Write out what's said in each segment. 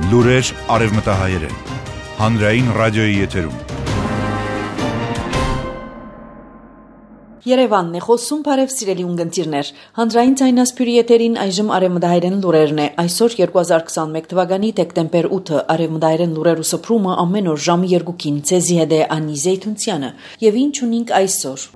Լուրեր արևմտահայերեն, հանրային ռադիոյի եթերում։ Երևանն է խոսում, բարև սիրելի ունգընտիրներ։ Հանրային ձայնասփյուրի եթերին այժմ արևմտահայերեն լուրերն է։ Այսօր 2021 թվականի դեկտեմբեր 8-ը արևմտահայերեն լուրերու սփռումը ամեն օր ժամը 2-ին ցեզի հետ է Անի Զեյթունցյանը։ Եվ ինչ ունենք այսօր։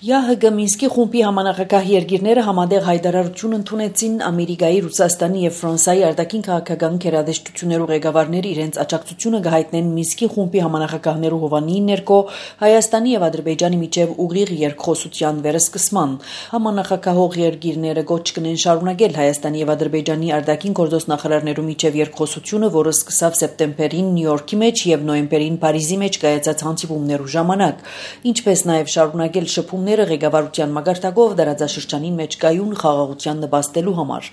ՀՀԳ Մինսկի խումբի համանախագահ երկիրները համատեղ հայտարարություն ընդունեցին Ամերիկայի, Ռուսաստանի եւ Ֆրանսիայի արտաքին քաղաքական գերատեսչություններու ղեկավարները իրենց աջակցությունը կհայտնեն Մինսկի խումբի համանախագահներու հովանիի ներքո Հայաստանի եւ Ադրբեջանի միջև ուղիղ երկխոսության վերսկսման։ Համանախագահող երկիրները գոչ կնեն շարունակել Հայաստանի եւ Ադրբեջանի արտաքին գործոս նախարարներու միջև երկխոսությունը, որը սկսավ սեպտեմբերին Նյու Յորքի մեջ եւ նոյեմբերին Փարիզի մեջ կայացած հանդիպումներու ժամանակ, ինչպես նաեւ շարունակել շփումները ղեկավարության մագարտակով դարաձաշրջանին մեջ կայուն խաղաղության նպաստելու համար։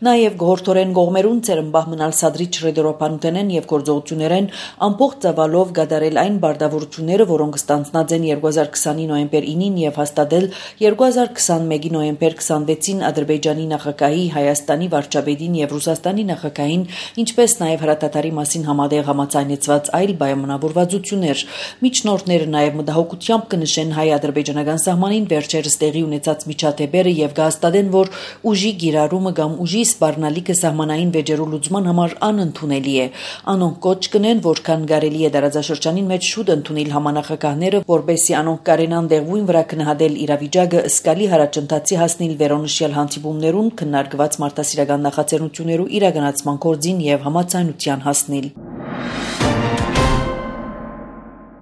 Նաև գողորթորեն գողմերուն ծերմբահ մնալ սադրիչ ռեդորոպանութենեն եւ գործողություններեն ամբողջ ծավալով գդարել այն բարդավորությունները, որոնք ստանձնած են 2020-ի նոյեմբեր 9-ին եւ հաստատել 2021-ի նոյեմբեր 26-ին Ադրբեջանի նախագահի, Հայաստանի վարչապետին եւ Ռուսաստանի նախագահին, ինչպես նաեւ հրատատարի մասին համատեղ համաձայնեցված այլ պայմանավորվածություններ։ Միջնորդները նաեւ մտահոգությամբ կնշեն հայ-ադրբեջանական սահմանին վերջերս տեղի ունեցած միջադեպերը եւ կհաստատեն, որ ուժի գիրառումը կամ ուժի սպառնալիքը սահմանային վեճերու լուծման համար անընդունելի է։ Անոնք կոչ կնեն, որքան կարելի է դարաձաշրջանին մեջ շուտ ընդունել համանախագահները, որպեսզի անոնք կարենան դեղույն վրա քննադել իրավիճակը ըսկալի հարաճընթացի հասնել վերոնշյալ հանդիպումներուն, քննարկված մարդասիրական նախաձեռնություններու իրականացման կորձին եւ համաձայնության հասնել։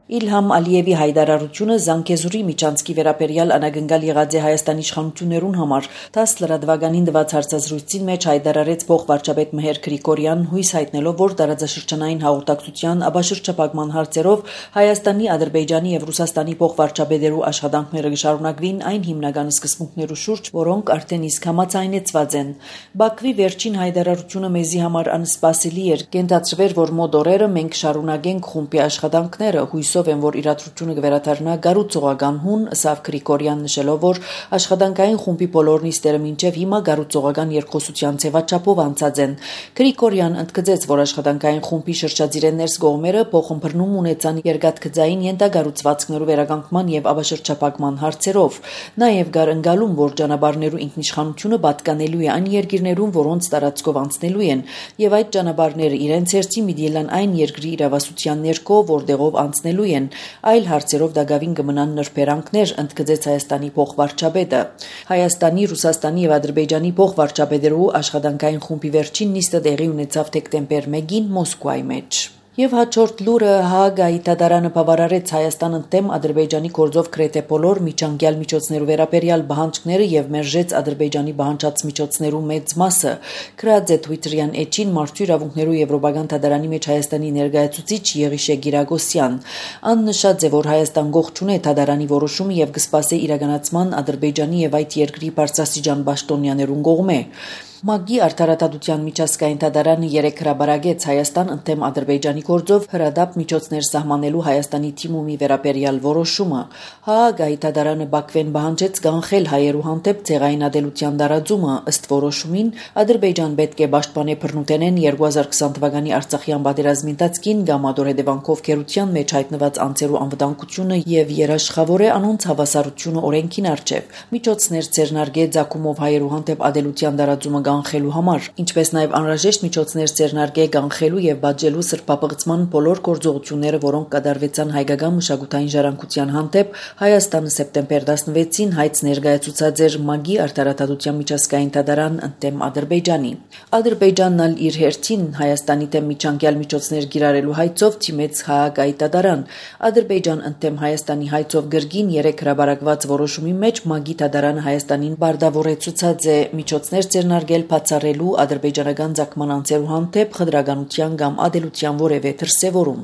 Իլհամ Ալիևի հայտարարությունը Զանգեզուրի միջանցքի վերաբերյալ անագնկալ եղած է Հայաստանի իշխանություններուն համար։ 10 լրատվականին տված հարցազրույցին մեջ հայտարարեց փոխվարչապետ Մհեր Գրիգորյան, հույս հայտնելով, որ տարածաշրջանային հաղորդակցության աբաշրջապակման հարցերով Հայաստանի, Ադրբեջանի եւ Ռուսաստանի փոխվարչապետերու աշխատանքները կշարունակվին այն հիմնական սկզբունքներու շուրջ, որոնք արդեն իսկ համաձայնեցված են։ Բաքվի վերջին հայտարարությունը մեզի համար անսպասելի էր։ Կենտացրվեր, որ մոտ օրերը մենք շարունակենք խումբի աշխատանքները, հույսով եմ, որ իրադրությունը կվերադառնա գառուցողական հուն, ըստ Գրիգորյան նշելով, որ աշխատանքային խումբի բոլոր նիստերը մինչև հիմա գառուցողական երկխոսության ձևաչափով անցած են։ Գրիգորյան ընդգծեց, որ աշխատանքային խումբի շրջադիրներս կողմերը փոխըմբռնում ունեցան երկաթգծային ենթագառուցվածքներու վերականգնման եւ աբաշրջապակման հարցերով։ Նաեւ կար ընկալում, որ ճանապարհներու ինքնիշխանությունը պատկանելու է այն երկիրներուն, որոնց տարածքով անցնելու են, եւ այդ ճանապարհները իրենց հերթին միդիելան այն երկրի իրավասության ներքո, որտեղով անցնելու են, այլ հարցերով դակավին կմնան նրբերանգներ, ընդգծեց Հայաստանի փոխվարչապետը։ Հայաստանի, Ռուսաստանի եւ Ադրբեջանի փոխվարչապետերու աշխատանքային խումբի վերջին նիստը տեղի ունեցավ դեկտեմբեր 1-ին Մոսկվայի մեջ։ Եվ հաջորդ լուրը Հաագայի դատարանը բավարարեց Հայաստան ընդդեմ Ադրբեջանի գործով գրեթե բոլոր միջանկյալ միջոցներու վերաբերյալ պահանջները եւ մերժեց Ադրբեջանի պահանջած միջոցներու մեծ մասը։ Գրած է Twitter-յան էջին Մարդու իրավունքներու եվրոպական դատարանի մեջ Հայաստանի ներկայացուցիչ Եղիշե Գիրագոսյան։ Ան նշած է, որ Հայաստան գող չունե դատարանի որոշումը եւ կսպասե իրականացման Ադրբեջանի եւ այդ երկրի բարձրաստիճան պաշտոնյաներուն կողմէ։ ՄԱԳ-ի արդարադատության միջազգային դատարանը 3 հրաբարագեց Հայաստան ընդդեմ Ադրբեջանի գործով հրադապ միջոցներ սահմանելու Հայաստանի թիմումի վերաբերյալ որոշումը։ Հաագայի դատարանը Բաքվեն պահանջեց կանխել հայերու հանդեպ ցեղային ադելության տարածումը, ըստ որոշումին Ադրբեջան պետք է պաշտպանե բռնութենեն 2020 թվականի Արցախյան պատերազմի ընթացքին գամադոր հետևանքով քերության մեջ հայտնված անձերու անվտանգությունը եւ երաշխավորե անոնց հավասարությունը օրենքին առջև։ Միջոցներ ձեռնարկե ցակումով հայերու հանդեպ ադելության տարածումը կանխելու համար, ինչպես նաև անհրաժեշտ միջոցներ ձեռնարկե կանխելու եւ բաժելու սրբապղծման բոլոր գործողությունները, որոնք կատարվեցան հայկական մշակութային ժառանգության հանդեպ Հայաստանը սեպտեմբեր 16-ին հայց ներկայացուցած էր ՄԱԳ-ի արդարադատության միջազգային դատարան ընդդեմ Ադրբեջանի։ Ադրբեջանն ալ իր հերթին Հայաստանի դեմ միջանկյալ միջոցներ գիրառելու հայցով թիմեց Հաագայի դատարան։ Ադրբեջան ընդդեմ Հայաստանի հայցով գրգին 3 հրաբարակված որոշումի մեջ ՄԱԳ-ի դատարանը Հայաստանին բարդավորեցուցած է միջոցներ ձեռնարկել բացառելու ադրբեջանական ցակման անձերու հանդեպ խտրականության կամ ադելության որևէ դրսևորում։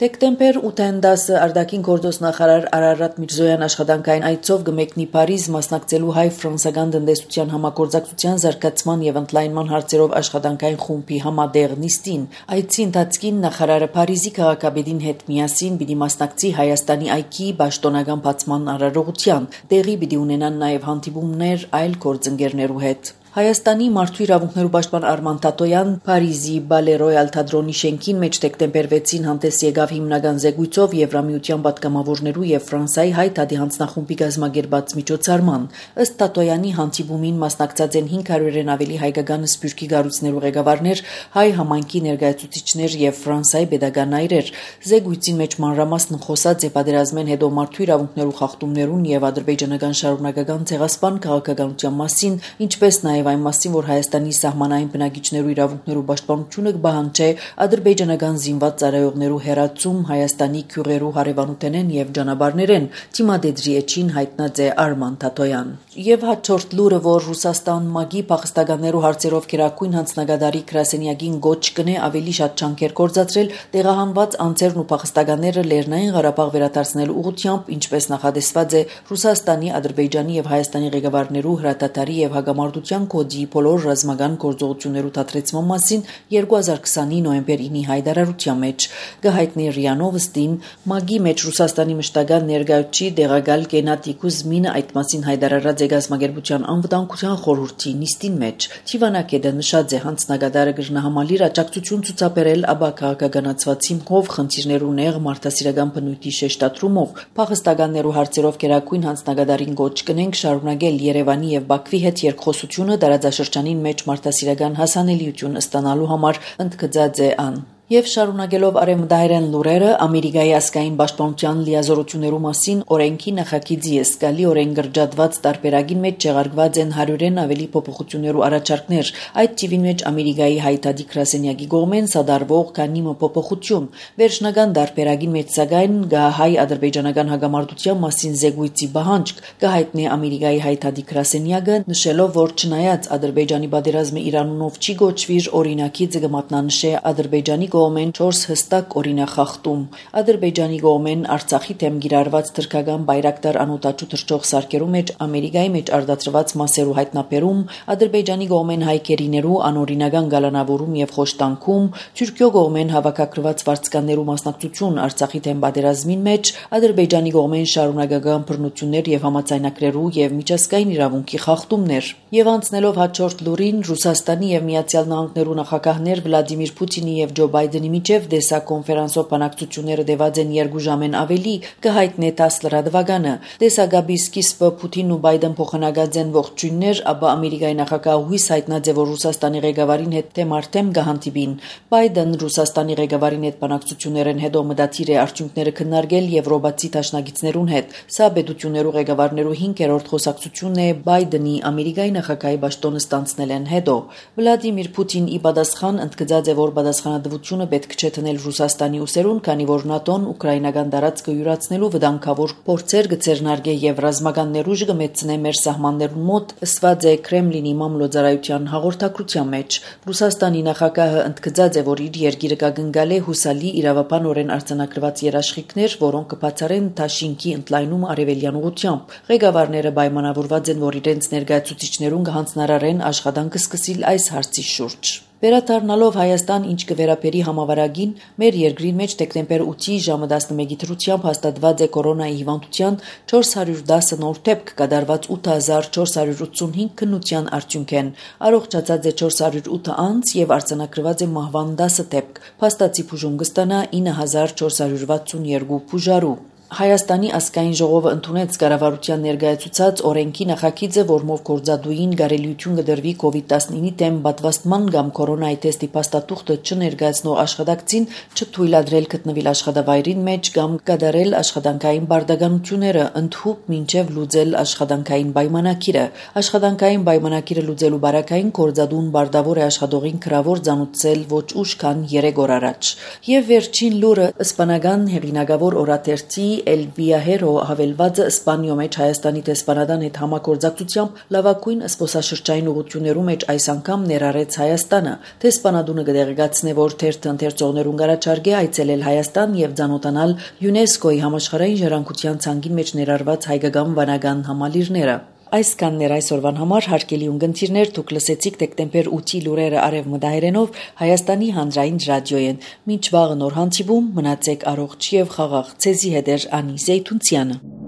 Դեկտեմբեր 8-ին 10 արտաքին գործոս նախարար Արարատ Միրզոյան աշխատանքային այցով գմեկնի Փարիզ մասնակցելու հայ-ֆրանսական տնտեսության համագործակցության զարգացման եւ ընդլայնման հարցերով աշխատանքային խումբի համատեղ նիստին։ Այցի ընթացքին նախարարը Փարիզի քաղաքապետին հետ միասին պիտի մասնակցի Հայաստանի այգի պաշտոնական բացման արարողության։ Տեղի պիտի ունենան նաեւ հանդիպումներ այլ գործընկերներու հետ։ Հայաստանի մարդու իրավունքներու պաշտպան Արման Թաթոյան Փարիզի Բալե Ռոյալ թատրոնի շենքին մեջ դեկտեմբեր 6-ին հանդես եկավ հիմնական զեկույցով Եվրամիության պատգամավորներու եւ Ֆրանսիայի հայ թադի հանձնախումբի գազագերբած միջոցառման։ Ըստ Թաթոյանի հանդիպումին մասնակցած են 500-ին ավելի հայկական սփյուռքի գառույցներու ղեկավարներ, հայ համայնքի ներկայացուցիչներ եւ Ֆրանսիայի pedagogan այրեր։ Զեկույցին մեջ մանրամասն խոսած է պատերազմեն հետո մարդու իրավունքներու խախտումներուն եւ ադրբեջանական շարունակական ցեղասպան քաղաքականության մասին, ինչպես նաեւ այն մասին, որ Հայաստանի սահմանային բնակիչներու իրավունքներու պաշտպանությունը կբահանջի ադրբեջանական զինված ծառայողներու հերացում Հայաստանի քյուղերու հարևանութենեն եւ ճանապարհներեն, թիմադեդրի էջին հայտնած է Արման Թաթոյան։ Եվ հաջորդ լուրը, որ Ռուսաստան ՄԱԳ-ի փախստականներու հարցերով քերակույն հանձնագետարի Կրասենյակին գոչ կնե ավելի շատ ջանքեր գործադրել տեղահանված անձերն ու փախստականները Լեռնային Ղարաբաղ վերադարձնելու ուղղությամբ, ինչպես նախադեсված է Ռուսաստանի, Ադրբեջանի եւ Հայաստանի ղեկավարներու հրատատարի եւ հագամարտության կոդի բոլոր ռազմական գործողություններու դադրեցման մասին 2020-ի նոյեմբեր 9-ի հայտարարության մեջ գահիտնի ՌԻԱ Նովոստին ՄԱԳ-ի մեջ Ռուսաստանի մշտական ներկայացուցիչ Դեղագալ Գենադի Կուզմինը այդ մասին հայտարարած է գազագերբության անվտանգության խորհրդի նիստին մեջ։ Թիվանակետը նշած է հանձնագետարը գրնահամալիր աջակցություն ցուցաբերել աբա քաղաքականացված հիմքով խնդիրներու նեղ մարդասիրական բնույթի շեշտադրումով փախստականներու հարցերով քերակույն հանձնագետարին գոչ կնենք շարունակել Երևանի եւ Բաքվի հետ երկխոսությունը տարածաշրջանին մեջ մարդասիրական հասանելիություն ստանալու համար ընդգծած է ան։ Եվ շարունակելով արևմտահայերեն լուրերը Ամերիկայի ազգային պաշտպանության լիազորություններու մասին օրենքի նախագիծի զգալի օրեն գրջատված տարբերակին մեջ չեղարկված են 100-ին ավելի փոփոխություններու առաջարկներ։ Այդ թիվին մեջ Ամերիկայի հայտարարի Կրասենյակի կողմեն սադարվող քանի փոփոխություն վերջնական տարբերակին մեջ սակայն հայ-ադրբեջանական հագամարտության մասին զեկույցի բանջկ կհայտնի Ամերիկայի հայտարարի Կրասենյակը նշելով, որ չնայած Ադրբեջանի պատերազմը Իրանունով չի գոչվիր օրինակիցը կմատնանշե Ադրբեջանի կողմեն 4 հստակ օրինախախտում։ Ադրբեջանի կողմեն Արցախի թեմ գիրառված թրքական բայրակտար անօտաչու թռչող սարքերու մեջ Ամերիկայի մեջ արտադրված մասերու հայտնաբերում, Ադրբեջանի կողմեն հայկերիներու անօրինական գալանավորում եւ խոշտանքում, Թուրքիո կողմեն հավաքագրված վարձկաններու մասնակցություն Արցախի թեմ պատերազմին մեջ, Ադրբեջանի կողմեն շարունակական բռնություններ եւ համաձայնագրերու եւ միջազգային իրավունքի խախտումներ։ Եվ անցնելով հաջորդ լուրին Ռուսաստանի եւ Միացյալ Նահանգներու նախագահներ Վլադիմիր Պուտինի եւ Ջո Բայդենի միջև դեսակոնֆերանսով բանակցությունները դեված են 2 ժամեն ավելի կհայտնի 10 լրատվականը։ Դեսագաբի սկիզբը Պուտինն ու Բայդեն փոխանակած են ողջույններ, ապա Ամերիկայի նախագահ հույս հայտնած է, որ Ռուսաստանի ղեկավարին հետ թեմարտեմ կհանդիպին։ Բայդեն Ռուսաստանի ղեկավարին հետ բանակցություններեն հետո մտադիր է արդյունքները քննարկել եվրոպացի դաշնակիցներուն հետ։ Սա պետություններու ղեկավարներու 5-րդ խոսակցությունն է Բայդենի Ամերիկայի նախագահի պաշտոնը ստանցնելեն հետո։ Վլադիմիր Պուտին ի պատասխան ընդգծած է, որ պատասխանատվությունը պետք չէ տնել Ռուսաստանի ուսերուն, քանի որ ՆԱՏՕ-ն ուկրաինական տարածքը յուրացնելու վտանգավոր փորձեր կցերնարգե եւ ռազմական ներուժ կմեծնե մեր սահմաններուն մոտ, ըսված է Կրեմլինի մամլոյցարայության հաղորդակցության մեջ։ Ռուսաստանի նախագահը ընդգծած է, որ իր երկիրը կգնկալի հուսալի իրավաբանորեն արձանագրված երաշխիքներ, որոնք կբացառեն Թաշինքի ընդլայնում արևելյան ուղղությամբ։ Ղեկավարները պայմանավորված են, որ իրենց ներկայացուցիչներուն կհանձնարարեն աշխատանքը սկսել այս հարցի շուրջ։ Վերադառնալով Հայաստան, ինչ կվերապերի համավարակին, մեր երկրի մեջ դեկտեմբեր 8-ի ժամը 11-ի դրությամբ հաստատված է կորոնայի հիվանդության 410 նոր դեպք, կատարված 8485 քննության արդյունքեն։ Առողջացած է 408 անձ եւ արձանագրված է մահվան 10 դեպք։ Փաստացի բուժում կստանա 9462 բուժարու։ Հայաստանի ազգային ժողովը ընդունեց կառավարության ներկայացուցած օրենքի նախագիծը, որմով գործադուին գարելիություն կդրվի COVID-19-ի դեմ պատվաստման կամ կորոնայի թեստի փաստաթուղթը չներկայացնող աշխատակցին չթույլատրել գտնվել աշխատավայրին մեջ կամ կատարել աշխատանքային բարդականությունները, ընդհուպ մինչև լուծել աշխատանքային պայմանակիրը։ Աշխատանքային պայմանակիրը լուծելու բարակային գործադուն բարդավոր է աշխատողին գրավոր ծանոթացել ոչ ուշ քան 3 օր առաջ։ Եվ վերջին լուրը իսպանական հեղինակավոր օրաթերթի El Viajero հավելվածը Իսպանիո մեջ Հայաստանի տեսփանադան հետ համագործակցությամբ լավագույն զբոսաշրջային ուղղություններու մեջ այս անգամ ներառեց Հայաստանը։ Տեսփանադունը կդեղեկացնե, որ թերթը ընթերցողներուն կառաջարկե այցելել Հայաստան եւ ցանոթանալ ՅՈՒՆԵՍԿՕ-ի համաշխարհային ժառանգության ցանկի մեջ ներառված հայկական վանական համալիրները։ Այսքաններ այսօրվան համար հարգելի ունգընտիրներ, դուք լսեցիք դեկտեմբեր 8-ի լուրերը արևմտահայերենով Հայաստանի հանրային ռադիոյեն։ Մինչ վաղը նոր հանդիպում, մնացեք առողջ եւ խաղաղ։ Ցեզի հետ Անի Զեյթունցյանը։